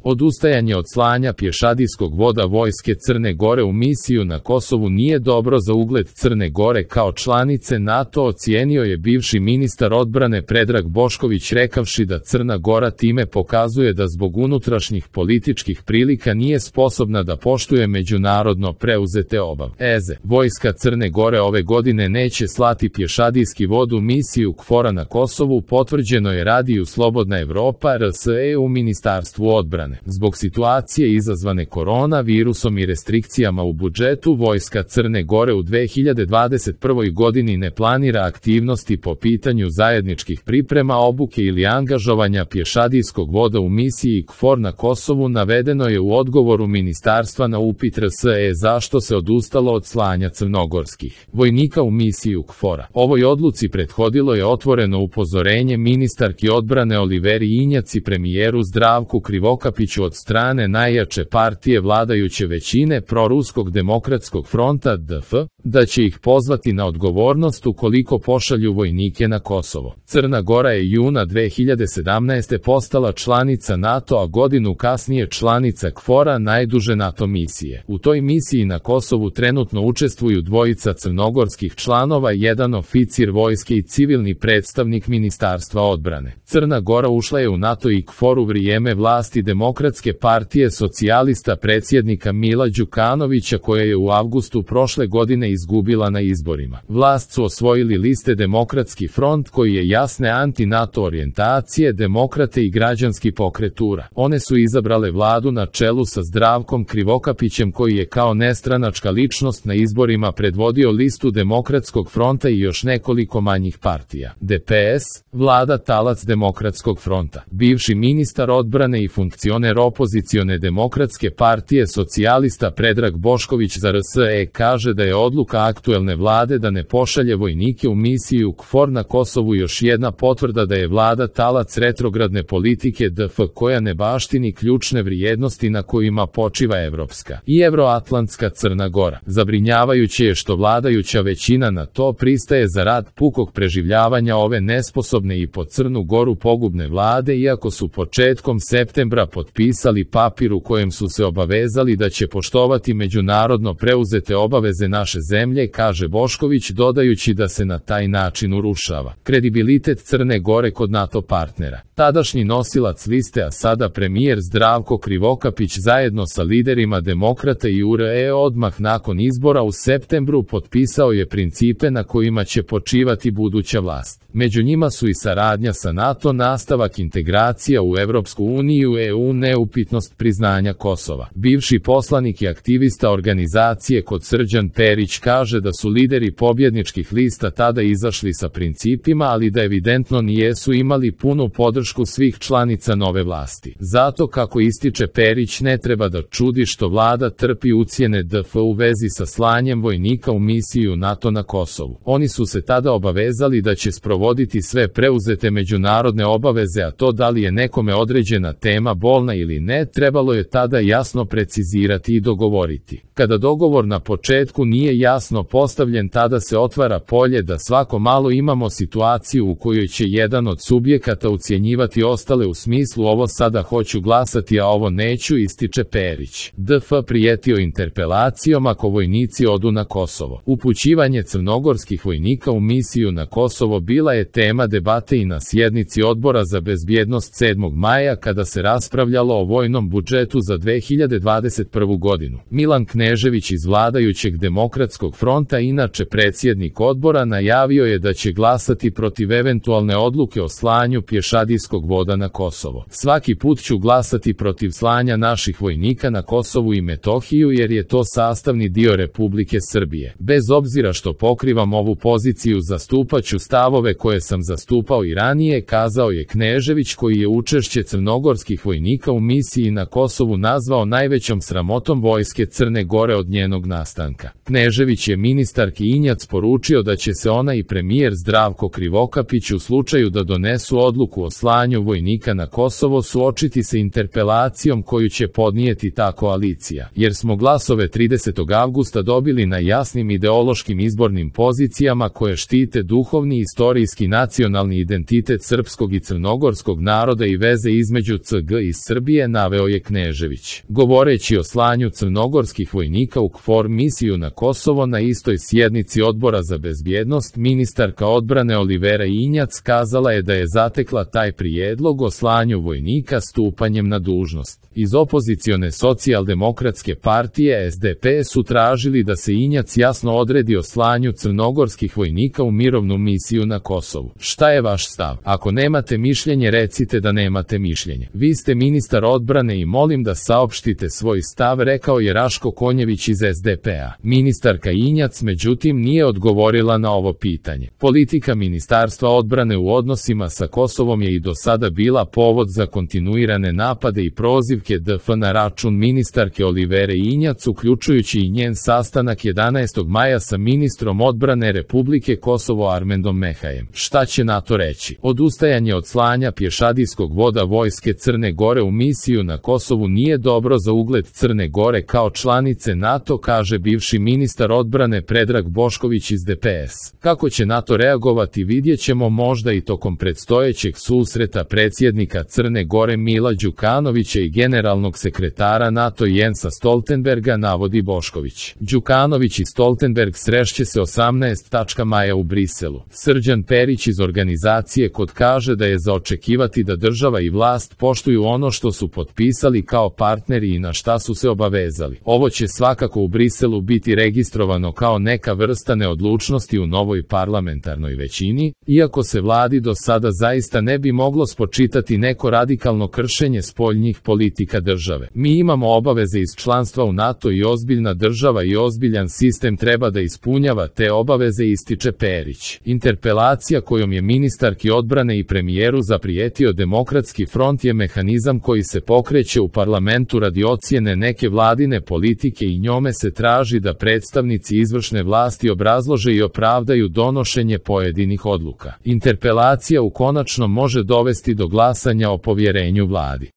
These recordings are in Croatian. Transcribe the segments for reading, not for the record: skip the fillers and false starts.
Odustajanje od slanja pješadijskog voda vojske Crne Gore u misiju na Kosovu nije dobro za ugled Crne Gore kao članice NATO, ocijenio je bivši ministar odbrane Predrag Bošković rekavši da Crna Gora time pokazuje da zbog unutrašnjih političkih prilika nije sposobna da poštuje međunarodno preuzete obaveze. Vojska Crne Gore ove godine neće slati pješadijski vod u misiju KFOR-a na Kosovu, potvrđeno je radiju Slobodna Evropa RSE u Ministarstvu odbrane. Zbog situacije izazvane koronavirusom i restrikcijama u budžetu, vojska Crne Gore u 2021. godini ne planira aktivnosti po pitanju zajedničkih priprema, obuke ili angažovanja pješadijskog voda u misiji KFOR na Kosovu, navedeno je u odgovoru ministarstva na upit RSE zašto se odustalo od slanja crnogorskih vojnika u misiju KFOR-a. Ovoj odluci prethodilo je otvoreno upozorenje ministarki odbrane Oliveri Injac i premijeru Zdravku Krivokapiću od strane najjače partije vladajuće većine Proruskog demokratskog fronta DF, da će ih pozvati na odgovornost ukoliko pošalju vojnike na Kosovo. Crna Gora je juna 2017. postala članica NATO, a godinu kasnije članica KFOR-a, najduže NATO misije. U toj misiji na Kosovu trenutno učestvuju dvojica crnogorskih članova, jedan oficir vojske i civilni predstavnik Ministarstva odbrane. Crna Gora ušla je u NATO i KFOR u vrijeme vlasti Demokratske partije socijalista predsjednika Mila Đukanovića, koja je u avgustu prošle godine izgubila na izborima. Vlast su osvojili liste Demokratski front, koji je jasne anti-NATO orijentacije, Demokrate i Građanski pokret URA. One su izabrale vladu na čelu sa Zdravkom Krivokapićem, koji je kao nestranačka ličnost na izborima predvodio listu Demokratskog fronta i još nekoliko manjih partija. DPS, vlada talac Demokratskog fronta. Bivši ministar odbrane i funkcioner opozicione Demokratske partije socijalista Predrag Bošković za RSE kaže da je odluka aktuelne vlade da ne pošalje vojnike u misiju KFOR na Kosovu još jedna potvrda da je vlada talac retrogradne politike DF, koja ne baštini ključne vrijednosti na kojima počiva evropska i evroatlantska Crna Gora. Zabrinjavajuće je što vladajuća većina na to pristaje za rad pukog preživljavanja ove nesposobne i po Crnu Goru pogubne vlade, iako su početkom septembra potpisali papir u kojem su se obavezali da će poštovati međunarodno preuzete obaveze naše zemlje, kaže Bošković, dodajući da se na taj način urušava kredibilitet Crne Gore kod NATO partnera. Tadašnji nosilac liste, a sada premijer Zdravko Krivokapić zajedno sa liderima Demokrata i URE odmah nakon izbora u septembru potpisao je principe na kojima će počivati buduća vlast. Među njima su i saradnja sa NATO, nastavak integracija u Evropsku uniju, EU, neupitnost priznanja Kosova. Bivši poslanik i aktivista organizacije Kod Srđan Perić kaže da su lideri pobjedničkih lista tada izašli sa principima, ali da evidentno nijesu imali punu podršku svih članica nove vlasti. Zato, kako ističe Perić, ne treba da čudi što vlada trpi ucjene DF u vezi sa slanjem vojnika u misiju NATO na Kosovu. Oni su se tada obavezali da će sprovoditi sve preuzete međunarodne obaveze, a to da li je nekome određena tema bolna ili ne, trebalo je tada jasno precizirati i dogovoriti. Kada dogovor na početku nije jasno postavljen, tada se otvara polje da svako malo imamo situaciju u kojoj će jedan od subjekata ucjenjivati ostale u smislu ovo sada hoću glasati, a ovo neću, ističe Perić. DF prijetio interpelacijom ako vojnici odu na Kosovo. Upućivanje crnogorskih vojnika u misiju na Kosovo bila je tema debate i na sjednici Odbora za bezbjednost 7. maja kada se raspravljalo o vojnom budžetu za 2021. godinu. Milan Knežević iz vladajućeg Demokratskog fronta, inače predsjednik odbora, najavio je da će glasati protiv eventualne odluke o slanju pješadijskog voda na Kosovo. Svaki put ću glasati protiv slanja naših vojnika na Kosovu i Metohiju jer je to sastavni dio Republike Srbije. Bez obzira što pokrivam ovu poziciju, zastupaću stavove koje sam zastupao i ranije, kazao je Knežević, koji je učešće crnogorskih vojnika u misiji na Kosovu nazvao najvećom sramotom vojske Crne Gore od njenog nastanka. Knežević Knežević je ministarki Injac poručio da će se ona i premijer Zdravko Krivokapić u slučaju da donesu odluku o slanju vojnika na Kosovo suočiti se interpelacijom koju će podnijeti ta koalicija, jer smo glasove 30. avgusta dobili na jasnim ideološkim izbornim pozicijama koje štite duhovni, istorijski, nacionalni identitet srpskog i crnogorskog naroda i veze između CG i Srbije, naveo je Knežević. Govoreći o slanju crnogorskih vojnika u KFOR misiju na Kosovo na istoj sjednici Odbora za bezbjednost, ministarka odbrane Olivera Injac kazala je da je zatekla taj prijedlog o slanju vojnika stupanjem na dužnost. Iz opozicione socijaldemokratske partije SDP su tražili da se Injac jasno odredi o slanju crnogorskih vojnika u mirovnu misiju na Kosovu. Šta je vaš stav? Ako nemate mišljenje, recite da nemate mišljenje. Vi ste ministar odbrane i molim da saopštite svoj stav, rekao je Raško Konjević iz SDP-a. Ministarka Injac međutim nije odgovorila na ovo pitanje. Politika Ministarstva odbrane u odnosima sa Kosovom je i do sada bila povod za kontinuirane napade i prozivke DF na račun ministarke Olivere Injac, uključujući i njen sastanak 11. maja sa ministrom odbrane Republike Kosovo Armendom Mehajem. Šta će NATO reći? Odustajanje od slanja pješadijskog voda vojske Crne Gore u misiju na Kosovu nije dobro za ugled Crne Gore kao članice NATO, kaže bivši ministar odbrane Predrag Bošković iz DPS. Kako će NATO reagovati vidjet ćemo možda i tokom predstojećeg susreta predsjednika Crne Gore Mila Đukanovića i generalnog sekretara NATO Jensa Stoltenberga, navodi Bošković. Đukanović i Stoltenberg srešće se 18. maja u Briselu. Srđan Perić iz organizacije KOD kaže da je za očekivati da država i vlast poštuju ono što su potpisali kao partneri i na šta su se obavezali. Ovo će svakako u Briselu biti registrovano kao neka vrsta neodlučnosti u novoj parlamentarnoj većini, iako se vladi do sada zaista ne bi moglo spočitati neko radikalno kršenje spoljnih politika države. Mi imamo obaveze iz članstva u NATO i ozbiljna država i ozbiljan sistem treba da ispunjava te obaveze, ističe Perić. Interpelacija kojom je ministarki odbrane i premijeru zaprijetio Demokratski front je mehanizam koji se pokreće u parlamentu radi ocjene neke vladine politike i njome se traži da predstavnici izvršne vlasti obrazlože i opravdaju donošenje pojedinih odluka. Interpelacija u konačnom može dovesti do glasanja o povjerenju vladi.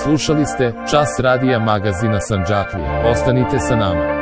Slušali ste Čas radija magazina Sandžaklija. Ostanite sa nama.